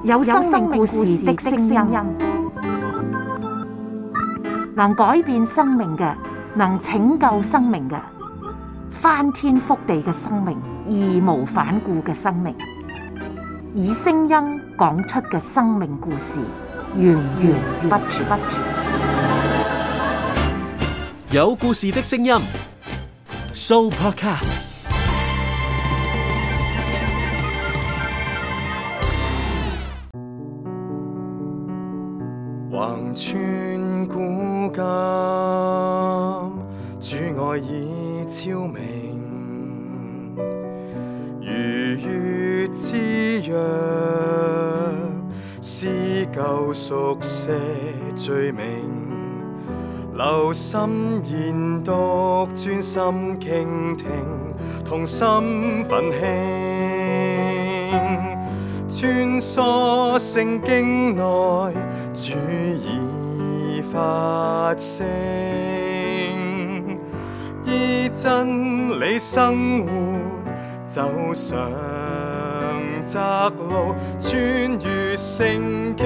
有生命故事的聲音，能改變生命嘅，能拯救生命嘅，翻天覆地嘅生命，義無反顧嘅生命，以聲音講出嘅生命故事，源源不絕。有故事的聲音 ，Sooopodcast。橫穿古今，主愛已超明，如月之約，撕舊熟寫罪名，留心研讀，專心傾聽，同心奮興，穿梭聖經內，主已發聲，依真理生活，走上窄路，穿越聖經。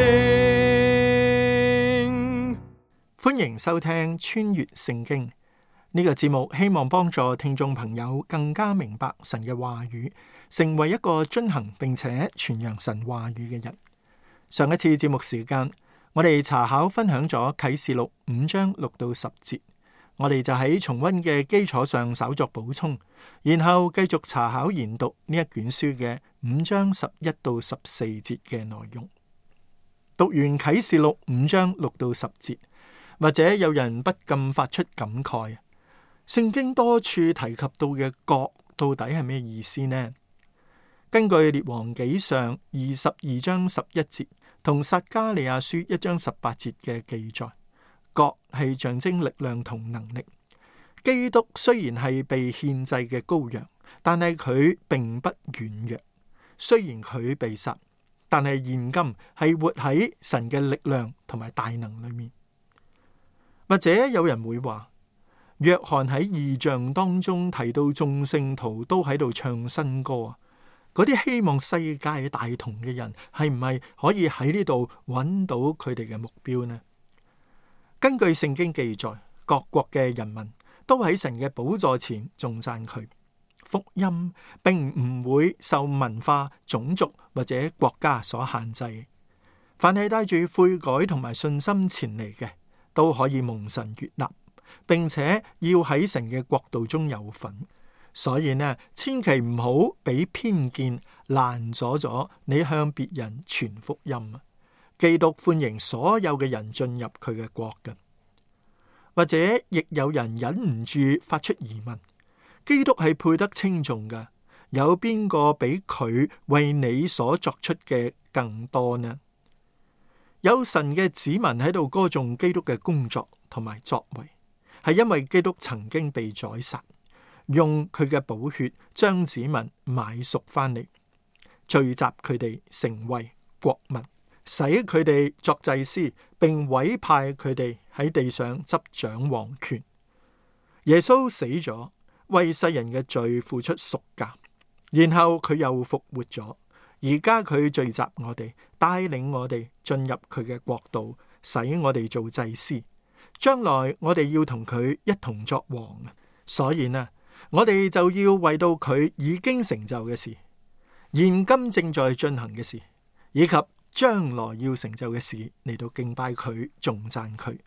歡迎收聽穿越聖經呢個節目，希望幫助聽眾朋友更加明白神嘅話語，成為一個遵行並且傳揚神話語嘅人。上一次節目時間，我哋查考分享咗啟示錄5章6到10節，我哋就喺重溫嘅基礎上稍作補充，然後繼續查考研讀呢一卷書嘅5章11到14節嘅內容。讀完啟示錄5章6到10節，或者有人不禁發出感慨，聖經多處提及到嘅國到底係咩意思呢？根據列王紀上22章11節同撒迦利亞書1章18節嘅記載，國係象徵力量同能力。基督雖然係被獻祭嘅羔羊，但係佢並不軟弱。雖然佢被殺，但係現今係活喺神嘅力量同埋大能裏面。或者有人會話，約翰喺異象當中提到眾聖徒都喺度唱新歌啊，嗰啲希望世界大同嘅人係唔係可以喺呢度揾到佢哋嘅目標呢？根據聖經記載，各國嘅人民都喺神嘅寶座前頌讚佢。福音並唔會受文化、種族或者國家所限制，凡係帶住悔改同埋信心前嚟嘅，都可以蒙神悅納，並且要喺神嘅國度中有份。所以呢，千祈唔好俾偏見攔阻咗你向別人傳福音啊！基督歡迎所有嘅人進入佢嘅國嘅。或者亦有人忍唔住發出疑問：基督係配得稱頌嘅，有邊個比佢為你所作出嘅更多呢？有神嘅子民喺度歌頌基督嘅工作同埋作為，係因為基督曾經被宰殺，用佢嘅寶血將子民買贖翻嚟，聚集佢哋成為國民，使佢哋作祭司，並委派佢哋喺地上執掌王權。耶穌死咗，為世人嘅罪付出贖價，然後佢又復活咗。而家佢聚集我哋，帶領我哋進入佢嘅國度，使我哋做祭司。將來我哋要同佢一同作王。所以呢，我哋就要為到佢已經成就嘅事，現今正在進行嘅事，以及將來要成就嘅事嚟到敬拜佢、頌讚佢。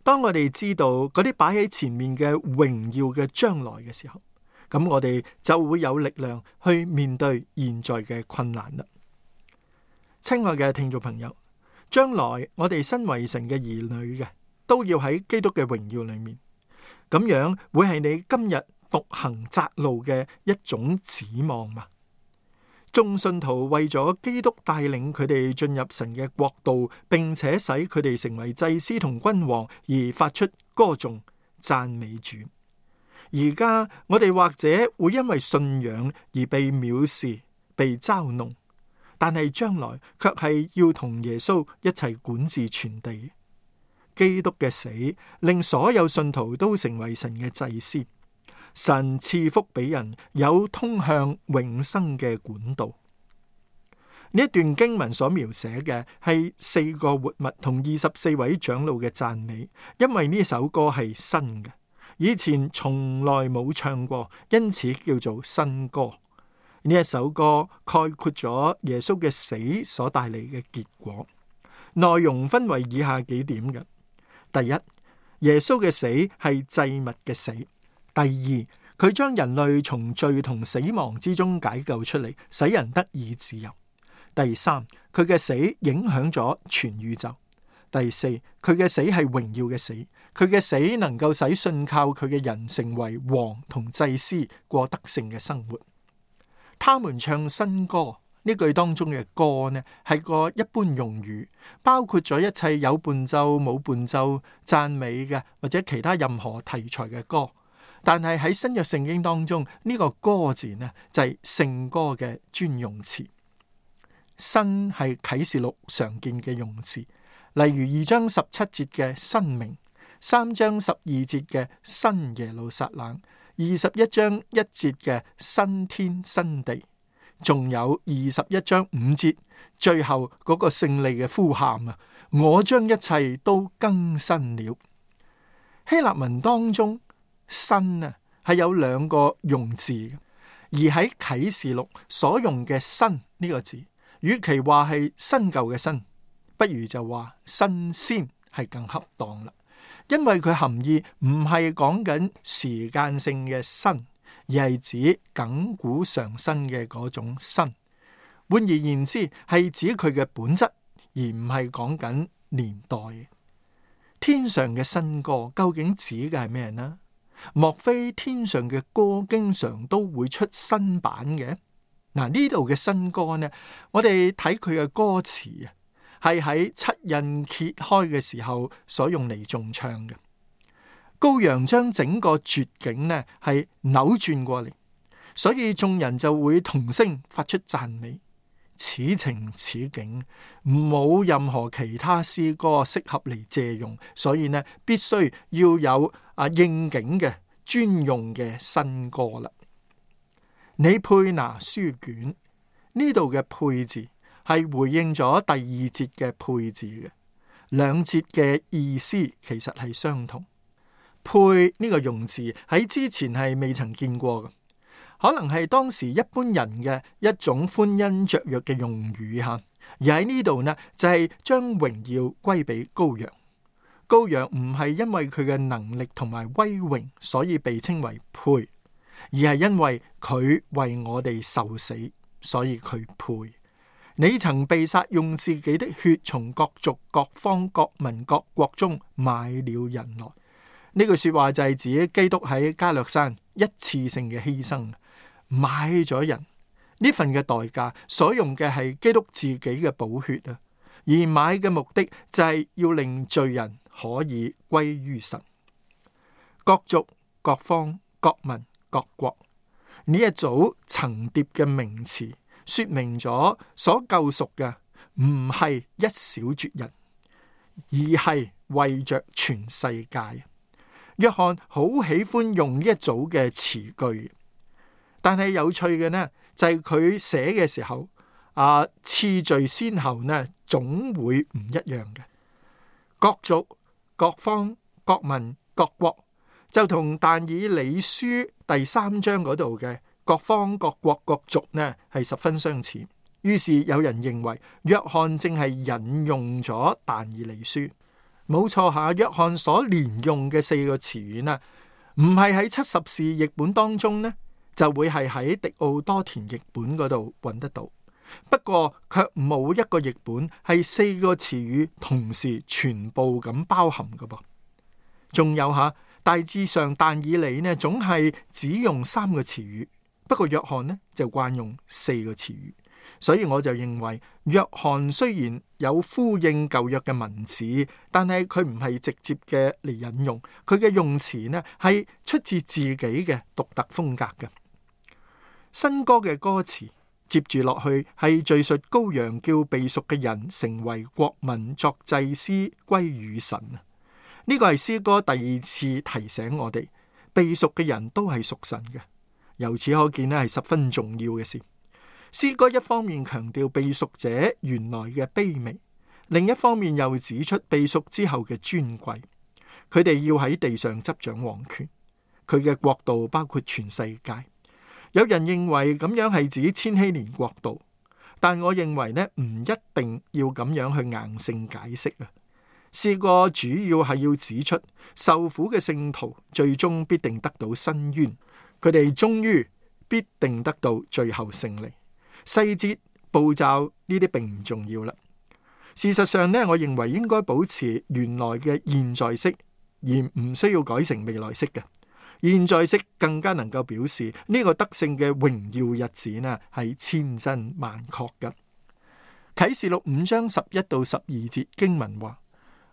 當我哋知道嗰啲擺喺前面嘅榮耀嘅將來嘅時候，咁我哋就會有力量去面對現在嘅困難啦。親愛嘅聽眾朋友，將來我哋身為神嘅兒女嘅，都要喺基督嘅榮耀裏面，咁樣會係你今日獨行窄路嘅一種指望嘛？眾信徒為咗基督帶領佢哋進入神嘅國度，並且使佢哋成為祭司同君王，而發出歌頌讚美主。而家我哋或者會因為信仰而被藐視、被嘲弄，但係將來卻係要同耶穌一齊管治全地。基督嘅死令所有信徒都成為神嘅祭司，神賜福俾人有通向永生嘅管道。呢一段經文所描寫嘅係4個活物同24位長老嘅讚美，因為呢首歌係新嘅，以前從來冇唱過，因此叫做新歌。呢一首歌概括咗耶穌嘅死所帶嚟嘅結果，內容分為以下幾點嘅：第一，耶穌嘅死係祭物嘅死；第二，佢將人類從罪同死亡之中解救出嚟，使人得以自由；第三，佢嘅死影響咗全宇宙；第四，佢嘅死係榮耀嘅死，佢嘅死能夠使信靠佢嘅人成為王同祭司，過得勝嘅生活。他們唱新歌，呢句當中嘅歌呢，係個一般用語，包括咗一切有伴奏冇伴奏、讚美嘅或者其他任何題材嘅歌。但係喺新約聖經當中，呢個歌字呢，就係聖歌嘅專用詞。新係啟示錄常見嘅用詞，例如2章17節嘅新名，3章12節嘅新耶路撒冷，21章1節嘅新天新地，仲有21章5節最後嗰個勝利嘅呼喊啊！我將一切都更新了。希臘文當中新啊係有2個用字嘅，而喺啟示錄所用嘅新呢個字，與其話係新舊嘅新，不如就話新鮮係更恰當啦。因為佢含義唔係講緊時間性嘅新，而係指亙古常新嘅嗰種新。換而言之，係指佢嘅本質，而唔係講緊年代。天上嘅新歌究竟指嘅係咩呢？莫非天上嘅歌經常都會出新版嘅？嗱，呢度嘅新歌呢，我哋睇佢嘅歌詞啊，係喺七印揭開嘅時候所用嚟重唱嘅。羔羊將整個絕境呢係扭轉過嚟，所以眾人就會同聲發出讚美。此情此景，冇任何其他詩歌適合嚟借用，所以呢必須要有應景嘅專用嘅新歌啦。你配拿書卷，呢度嘅配字係回應咗第2節嘅配字嘅，2節嘅意思其實係相同。配呢個用字喺之前係未曾見過嘅，可能係當時一般人嘅一種歡欣雀躍嘅用語吓。而喺呢度呢，就係將榮耀歸俾羔羊。羔羊唔係因為佢嘅能力同埋威榮所以被稱為配，而係因為佢為我哋受死，所以佢配。你曾被殺，用自己的血從各族、各方、各民、各國中買了人來。呢句說話就係指基督喺加略山一次性嘅犧牲，買咗人。呢份嘅代價所用嘅係基督自己嘅寶血啊，而買嘅目的就係要令罪人可以歸於神。各族、各方、各民、各國，呢一組層疊嘅名詞，說明咗所救贖嘅唔係一小撮人，而係為着全世界。約翰好喜歡用呢一組嘅詞句，但係有趣嘅呢，就係佢寫嘅時候，次序先後呢總會唔一樣嘅。各族、各方、各民、各國，就同但以理書第3章嗰度嘅各方、各國、各族呢係十分相似。於是有人認為約翰正係引用咗但以理書。冇錯下，約翰所連用嘅4個詞語呢，唔係喺70士譯本當中呢，就會係喺迪奧多田譯本嗰度揾得到。不過卻冇一個譯本係4個詞語同時全部咁包含㗎噃。仲有下，大致上但以理呢總係只用3個詞語，不過約翰呢就慣用4個詞語。所以我就認為約翰雖然有呼應舊約嘅文字，但係佢唔係直接嘅嚟引用，佢嘅用詞呢係出自自己嘅獨特風格嘅。新歌嘅歌詞接住落去係敘述羔羊叫被贖嘅人成為國民，作祭司歸與神。呢個係詩歌第2次提醒我哋，被贖嘅人都係屬神嘅。由此可見呢係十分重要嘅事。詩歌一方面強調被贖者原來嘅卑微，另一方面又指出被贖之後嘅尊貴。佢哋要喺地上執掌王權，佢嘅國度包括全世界。有人認為咁樣係指千禧年國度，但我認為呢，唔一定要咁樣去硬性解釋啊。詩歌主要係要指出受苦嘅聖徒最終必定得到伸冤，佢哋終於必定得到最後勝利。細節步驟呢啲並唔重要啦。事實上呢，我認為應該保持原來嘅現在式，而唔需要改成未來式嘅。現在式更加能夠表示呢個得勝嘅榮耀日子呢係千真萬確嘅。啟示錄5章11到12節經文話：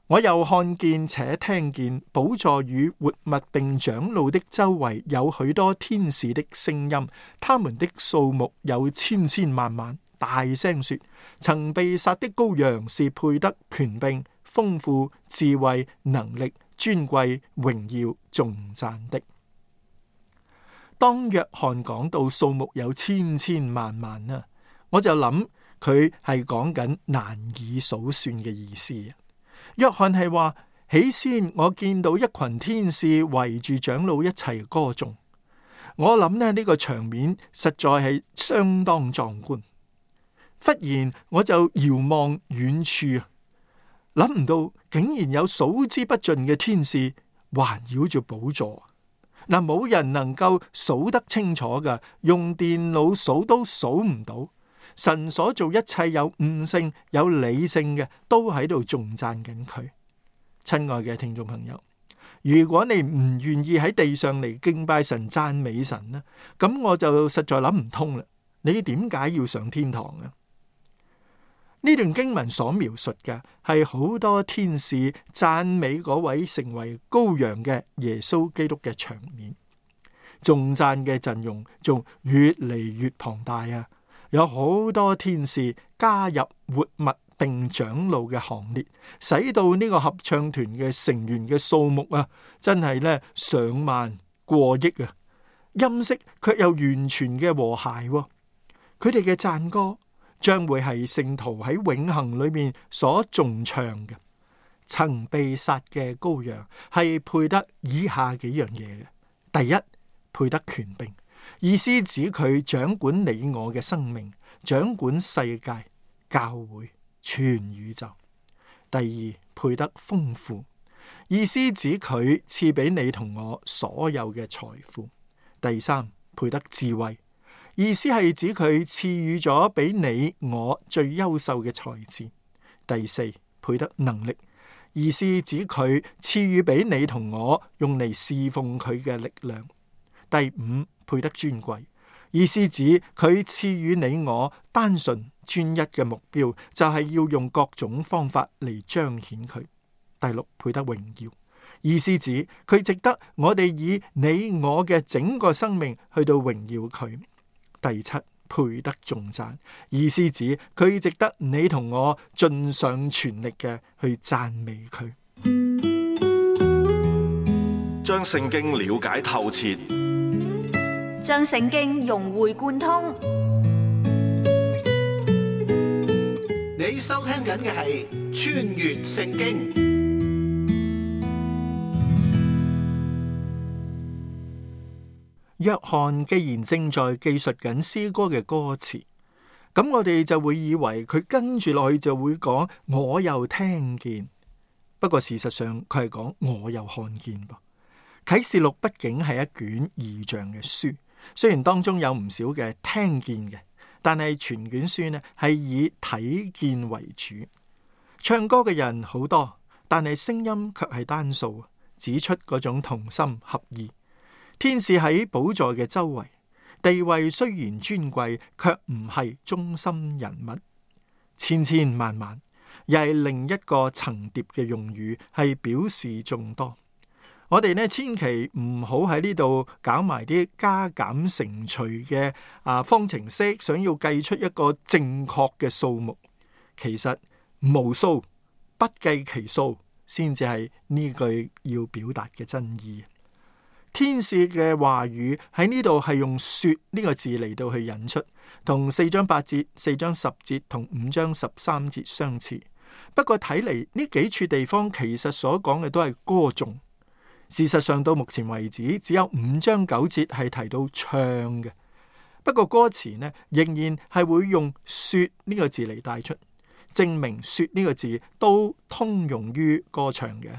我又看見且聽見寶座與活物並長老的周圍有許多天使的聲音，他們的數目有千千萬萬，大聲說：曾被殺的羔羊是配得權柄、豐富、智慧、能力、尊貴、榮耀、頌讚的。當約翰講到數目有千千萬萬啊，我就諗佢係講緊難以數算嘅意思。約翰係話，起先我見到一群天使圍住長老一齊歌頌，我諗呢個場面實在係相當壯觀。忽然我就遙望遠處，諗唔到竟然有數之不盡嘅天使環繞住寶座。嗱，冇人能夠數得清楚㗎，用電腦數都數唔到。神所做一切有悟性、有理性嘅，都喺度頌讚緊佢。親愛嘅聽眾朋友，如果你唔願意喺地上嚟敬拜神、讚美神呢，咁我就實在諗唔通啦。你點解要上天堂啊？呢段經文所描述嘅係好多天使讚美嗰位成為羔羊嘅耶穌基督嘅場面，頌讚嘅陣容仲越嚟越龐大啊！有好多天使加入活物並長老嘅行列，使到呢個合唱團嘅成員嘅數目啊，真係咧上萬過億啊！音色卻又完全嘅和諧，佢哋嘅讚歌將會係聖徒喺永恆裏面所頌唱嘅。曾被殺嘅羔羊係配得以下幾樣嘢嘅：第一，配得權柄，意思指佢掌管你我嘅生命，掌管世界、教會、全宇宙；第二，配得豐富，意思指佢賜俾你同我所有嘅財富；第三，配得智慧，意思係指佢賜予咗俾你我最優秀嘅才智；第四，配得能力，意思指佢賜予俾你同我用嚟侍奉佢嘅力量；第五，配得尊貴，意思指佢賜予你我單純專一嘅目標，就係要用各種方法嚟彰顯佢；第六，配得榮耀，意思指佢值得我哋以你我嘅整個生命去到榮耀佢；第七，配得頌讚，意思指佢值得你同我盡上全力嘅去讚美佢。將聖經了解透徹，將聖經融會貫通。你收聽緊嘅係《穿越聖經》。約翰既然正在記述緊詩歌嘅歌詞，咁我哋就會以為佢跟住落去就會講我又聽見。不過事實上佢係講我又看見噃。啟示錄畢竟係一卷異象嘅書，雖然當中有唔少嘅聽見嘅，但係全卷書呢係以睇見為主。唱歌嘅人好多，但係聲音卻係單數，指出嗰種同心合意。天使喺寶座嘅周圍，地位雖然尊貴，卻唔係中心人物。千千萬萬，又係另一個層疊嘅用語，係表示眾多。我哋呢千祈唔好喺呢度搞埋啲加減乘除嘅方程式，想要計出一個正確嘅數目。其實無數不計其數，先至係呢句要表達嘅真意。天使嘅話語喺呢度係用說呢個字嚟到去引出，同4章8節、4章10節同5章13節相似。不過睇嚟呢幾處地方其實所講嘅都係歌頌。事實上到目前為止，只有5章9節係提到唱嘅。不過歌詞呢，仍然係會用說呢個字嚟帶出，證明說呢個字都通用於歌唱嘅。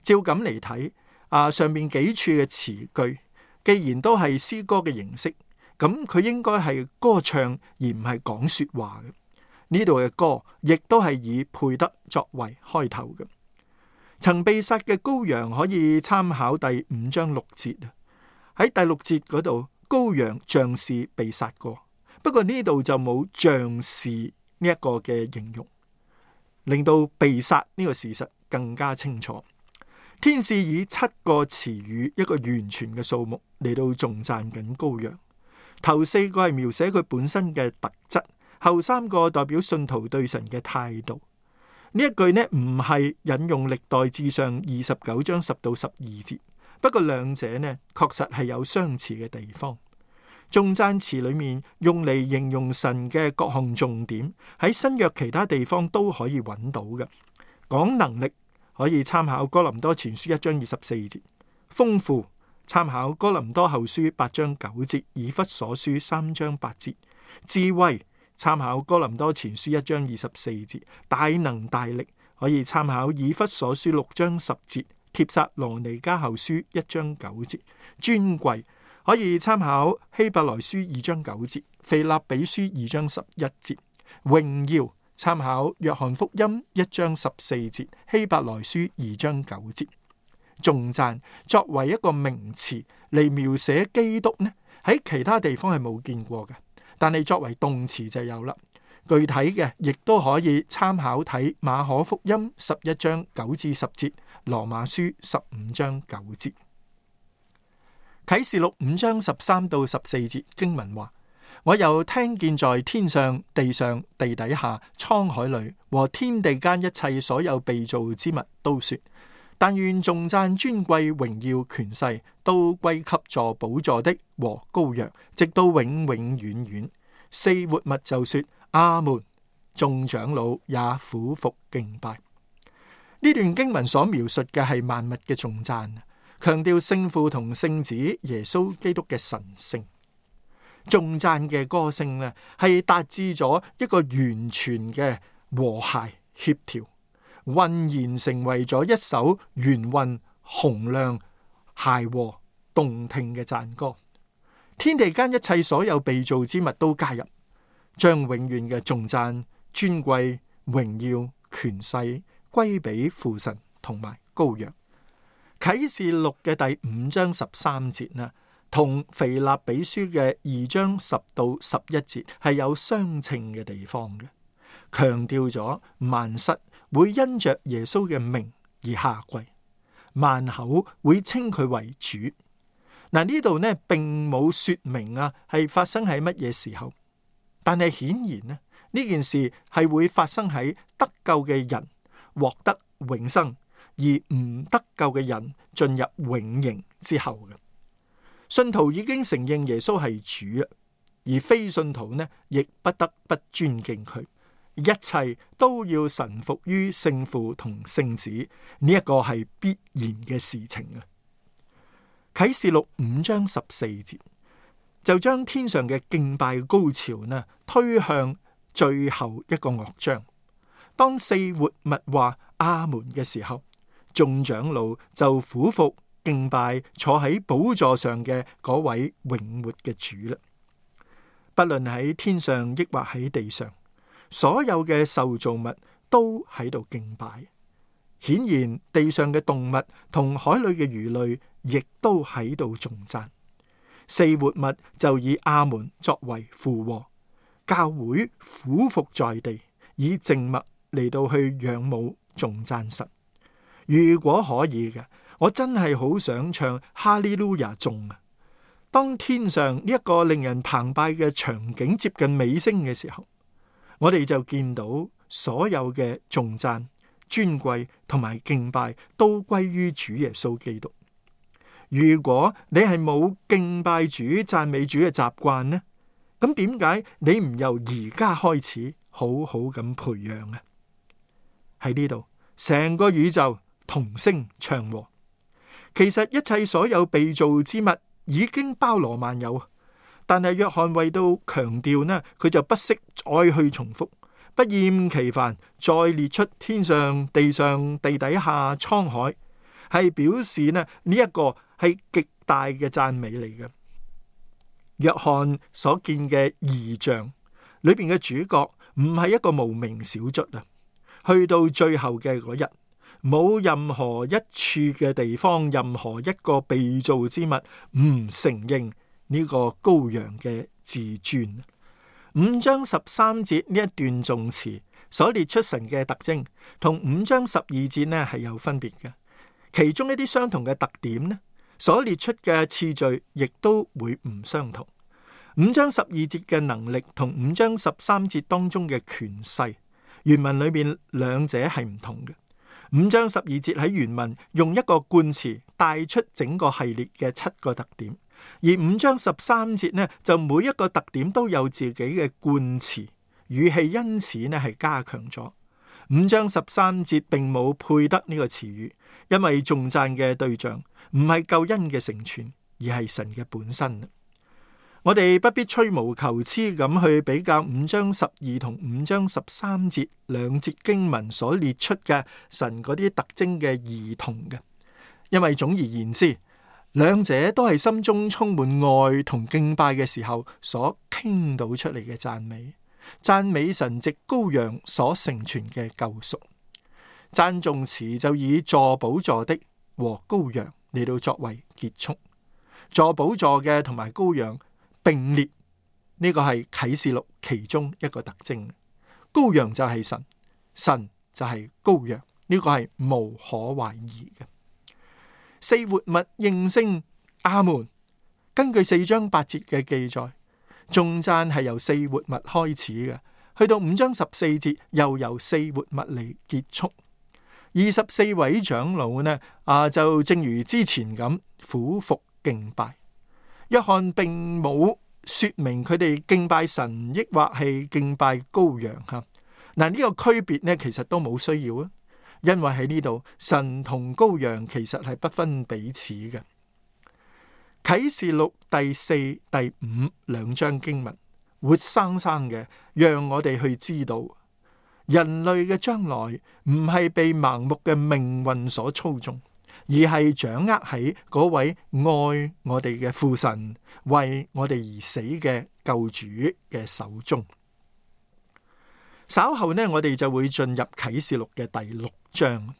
照咁嚟睇，上面幾處嘅詞句，既然都係詩歌嘅形式，咁佢應該係歌唱而唔係講說話嘅。呢度嘅歌亦都係以配得作為開頭嘅。曾被殺嘅羔羊可以參考第5章6節。喺第6節嗰度，羔羊像是被殺過，不過呢度就冇像是呢一個嘅形容，令到被殺呢個事實更加清楚。天使以7個詞語，一個完全嘅數目嚟到頌讚緊羔羊。頭4個係描寫佢本身嘅特質，後3個代表信徒對神嘅態度。呢一句呢唔係引用歷代志上29章10到12節，不過兩者呢確實係有相似嘅地方。頌讚詞裏面用嚟形容神嘅各項重點，喺新約其他地方都可以揾到嘅。講能力可以參考哥林多前書1章24節，豐富參考哥林多後書8章9節，以弗所書3章8節，智慧參考哥林多前書1章24節，大能大力可以參考以弗所書6章10節，帖撒羅尼迦後書1章9節，尊貴可以參考希伯來書2章9節，腓立比書2章11節，榮耀參考約翰福音1章14節，希伯來書2章9節。頌讚作為一個名詞嚟描寫基督呢，喺其他地方係冇見過嘅。但係作為動詞就有啦，具體嘅亦都可以參考睇馬可福音11章9至10節，羅馬書15章9節。啟示錄5章13到14節經文話：我又聽見在天上、地上、地底下、滄海裏和天地間一切所有被造之物都說，但願頌讚、尊貴、榮耀、權勢都歸給坐寶座的和羔羊，直到永永遠遠。4活物就說阿門，眾長老也俯伏敬拜。呢段經文所描述嘅係萬物嘅頌讚，強調聖父同聖子耶穌基督嘅神聖。頌讚嘅歌聲呢，係達至咗一個完全嘅和諧協調，渾然成為咗一首圓韻洪亮、諧和、動聽嘅讚歌。天地間一切所有被造之物都加入，將永遠嘅頌讚、尊貴、榮耀、權勢歸俾父神同埋羔羊。啟示錄嘅第5章13節呢，同腓立比書嘅2章10到11節係有相稱嘅地方嘅，強調咗萬膝會因着耶穌嘅名而下跪，萬口會稱佢為主。嗱，呢度呢並冇說明係發生喺乜嘢時候，但係顯然呢件事係會發生喺得救嘅人獲得永生，而唔得救嘅人進入永刑之後嘅。信徒已經承認耶穌係主，而非信徒呢亦不得不尊敬佢。一切都要臣服於聖父同聖子，呢一個係必然嘅事情啊！啟示錄5章14節就將天上嘅敬拜高潮呢推向最後一個樂章。當4活物話阿門嘅時候，眾長老就俯伏敬拜坐喺寶座上嘅嗰位永活嘅主啦。不論喺天上抑或喺地上，所有嘅受造物都喺度敬拜。顯然地上嘅動物同海裏嘅魚類亦都喺度頌讚。4活物就以阿門作為附和，教會俯伏在地，以靜默嚟到去仰慕頌讚神。如果可以嘅，我真係好想唱哈利路亞頌啊！當天上呢一個令人澎湃嘅場景接近尾聲嘅時候，我哋就見到所有嘅頌讚、尊貴同埋敬拜都歸於主耶穌基督。如果你係冇敬拜主、讚美主嘅習慣呢，咁點解你唔由而家開始好好咁培養啊？喺呢度，成個宇宙同聲唱和。其實一切所有被造之物已經包羅萬有，但係約翰為到強調呢，佢就不惜再去重複，不厭其煩再列出天上、地上、地底下、滄海，係表示呢一個係極大嘅讚美嚟嘅。約翰所見嘅異象裏邊嘅主角唔係一個無名小卒啊，去到最後嘅嗰日，冇任何一處嘅地方，任何一個被造之物唔承認呢個羔羊嘅至尊。5章13節呢一段頌詞所列出神嘅特徵，同5章12節呢係有分別嘅。其中一啲相同嘅特點呢，所列出嘅次序亦都會唔相同。5章12節嘅能力同5章13節當中嘅權勢，原文裏面兩者係唔同嘅。5章12節喺原文用一個冠詞帶出整個系列嘅7個特點，而5章13節呢就每一個特點都有自己嘅冠詞，語氣因此呢係加強咗。5章13節並冇配得呢個詞語，因為頌讚嘅對象唔係救恩嘅成全，而係神嘅本身。我哋不必吹毛求疵咁去比較5章12同5章13節兩節經文所列出嘅神嗰啲特徵嘅異同嘅，因為總而言之，兩者都係心中充滿愛同敬拜嘅時候所傾倒出嚟嘅讚美神藉羔羊所成全嘅救贖。讚頌詞就以坐寶座的和羔羊嚟到作為結束，坐寶座嘅同埋羔羊並列，呢個係啟示錄其中一個特徵。羔羊就係神，神就係羔羊，呢個係無可懷疑嘅。四活物應聲阿門。根據4章8節嘅記載，頌讚係由四活物開始嘅，去到5章14節又由四活物嚟結束。24位長老呢就正如之前咁俯伏敬拜。約翰並冇說明佢哋敬拜神抑或係敬拜羔羊吓。嗱，呢個區別呢其實都冇需要啊，因為喺呢度神同羔羊其實係不分彼此嘅。啟示錄第4、第5兩章經文活生生嘅讓我哋去知道，人類嘅將來唔係被盲目嘅命運所操縱，而係掌握喺嗰位愛我哋嘅父神為我哋而死嘅救主嘅手中。稍後呢，我哋就會進入啟示錄嘅第6章。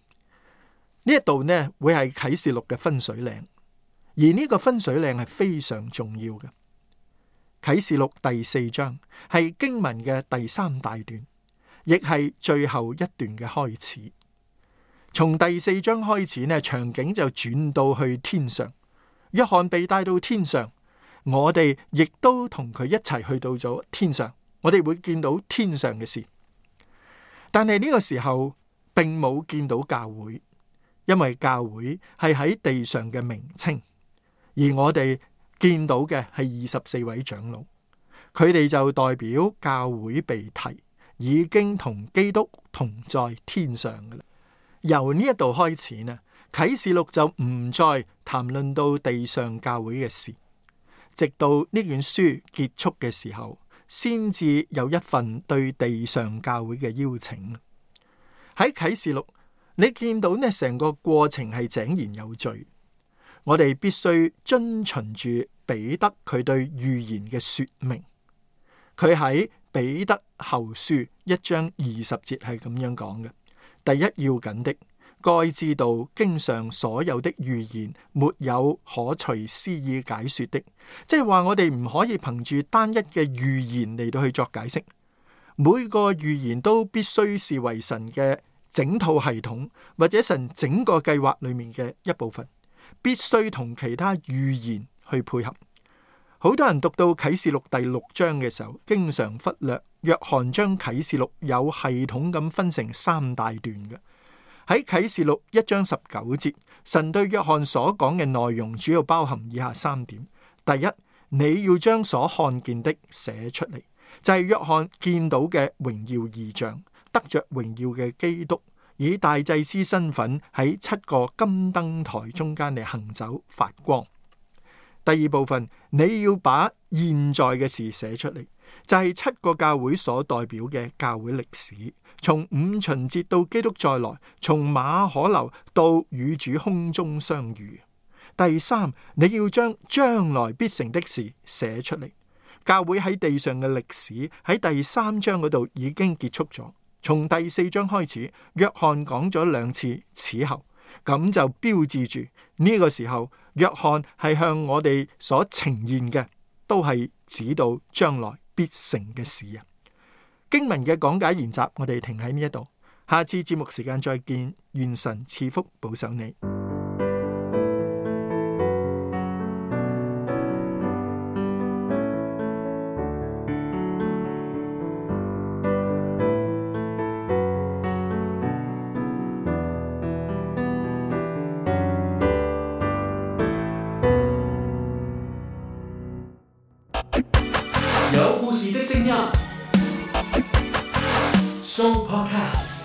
呢一度呢會係啟示錄嘅分水嶺，而呢個分水嶺係非常重要嘅。啟示錄第4章係經文嘅第3大段，亦係最後一段嘅開始。從第4章開始呢，場景就轉到去天上，約翰被帶到天上，我哋亦都同佢一齊去到咗天上，我哋會見到天上嘅事。但係呢個時候並冇見到教會，因為教會係喺地上嘅名稱，而我哋見到嘅係24位長老，佢哋就代表教會被提，已經同基督同在天上㗎喇。由呢一度開始呢，啟示錄就唔再談論到地上教會嘅事，直到呢卷書結束嘅時候，先至有一份對地上教會嘅邀請。喺啟示錄，你見到呢成個過程係井然有序，我哋必須遵循住彼得佢對預言嘅說明。佢喺彼得後書1章20節係咁樣講嘅。第一要緊的，該知道經上所有的預言沒有可隨私意解說的，即係話我哋唔可以憑住單一嘅預言嚟到去作解釋，每個預言都必須視為神嘅整套系統或者神整個計劃裏面嘅一部分，必須同其他預言去配合。好多人讀到啟示錄第6章嘅時候，經常忽略約翰將啟示錄有系統咁分成3大段嘅。喺啟示錄1章19節，神對約翰所講嘅內容主要包含以下3點：第一，你要將所看見的寫出嚟，就係約翰見到嘅榮耀異象，得着榮耀嘅基督，以大祭司身份喺7個金燈台中間嚟行走發光。第二部分，你要把現在嘅事寫出嚟，就係7個教會所代表嘅教會歷史，從五旬節到基督再來，從馬可樓到與主空中相遇。第三，你要將將來必成的事寫出嚟。教會喺地上嘅歷史喺第3章嗰度已經結束咗，從第4章開始，約翰講咗2次此後，咁就標誌住呢個時候，約翰係向我哋所呈現嘅都係指到將來必成嘅事啊。經文嘅講解研習，我哋停喺呢一度，下次節目時間再見，願神賜福保守你。有故事的聲音，Show Podcast。